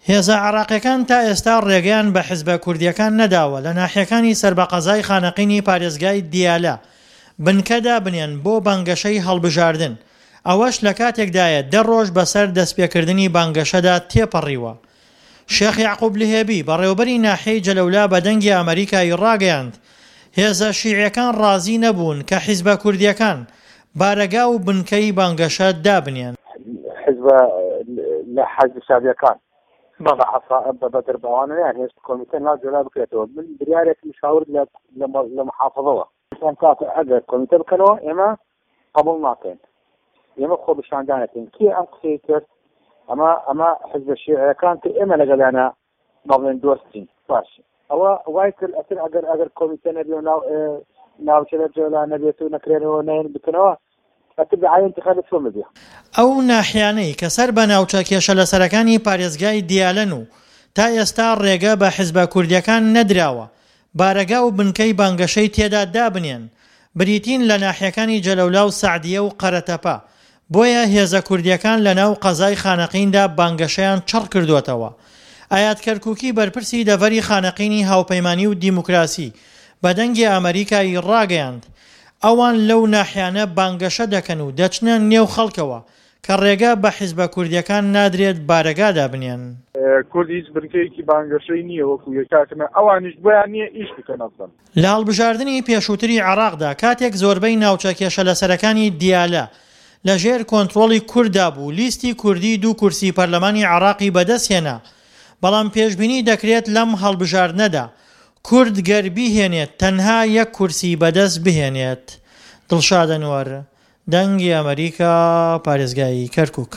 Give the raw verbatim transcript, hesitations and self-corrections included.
هێزە عێراقیەکان تا ئێستا ڕێگەیان بە حزبە کوردیەکان نەداوە لە ناحیەکانی سەر بە قەزای خانەقینی پارێزگای دیالە بنکە دابنێن بۆ بانگەشەی هەڵبژاردن، ئەوەش لە کاتێکدایە دە ڕۆژ بەسەر دەستپێکردنی بانگەشەدا تێپەڕیوە. شێخ یەعقوب لهێبی، بەڕێوەبەری ناحیەی جەلەولا بە دەنگی ئەمەریکای ڕاگەیاند، هێزە شیعیەکان ڕازی نەبوون کە حیزبە کوردیەکان بارەگا و بنکەی بانگەشە دابنێن. حیزبە لە حەشدی شەعبیەکان بە عەسائب بە بەدرباوانە یان هێشت کۆمیتە ناو جۆلا بکرێتەوە. من بریارێکم شاورد لە لە محافظەوە وتم کاکە ئەگەر کۆمیتە بکەنەوە ئێمە قبوڵ ناکەین، ئێمە خۆپیشاندانەکەین. کێ ئەم قسەی کرد؟ ئەمە ئەمە حزبە شیعیەکان کە ئێمە لەگەڵیانە بەڵێن دۆستین. باش ئەوە وای کرد ئەتر ئەگەر ئەگەر کۆمیتە نەبێ و ناو ناوچە لە جۆلا نەبێت و نەکرێنەوە نەیەن بکەنەوە ئەتر دعایە انتخابات چۆن ببێ؟ ئەو ناحیانەی کە سەر بە ناوچە کێشەلەسەرەکانی پارێزگای دیالەن و تا ئێستا ڕێگە بە حزبە کوردیەکان نەدراوە بارەگا و بنکەی بانگەشەی تێدا دابنێن بریتین لە ناحیەکانی جەلەولا و سەعدیە و قەرەتەپە، بۆیە هێزە کوردیەکان لە ناو قەزای خانەقیندا بانگەشەیان چڕ کردۆتەوە. ئایات کەرکوکی بەرپرسی دەڤەری خانەقینی هاوپەیمانی و دیموکراسی بە دەنگی ئەمەریکای ڕاگەیاند ئەوان لەو ناحیانە بانگەشە دەکەن و دەچنە نێو خەڵکەوە کە ڕێگە بە حیزبە کوردیەکان نادرێت بارەگا دابنێن. کورد هیچ بنکەیەکی بانگەشەی نییە وەکو یەکاکنە ئەوانیش بۆیان نییە ئیش بکەن ئەسڵەن. لە هەڵبژاردنی پێشووتری عێراقدا کاتێک زۆربەی ناوچە کێشەلەسەرەکانی دیالە لە ژێر کۆنترۆڵی کورددا بوو لیستی کوردی دوو کورسی پەرلەمانی عێراقی بەدەستهێنا بەڵام پێشبینی دەکرێت لەم هەڵبژاردنەدا کورد گەر بیهێنێت تەنها یەک کورسی بەدەست بهێنێت. دڵشاد ئەنوەر، دەنگی ئەمەریکا، پارێزگای کەرکوک.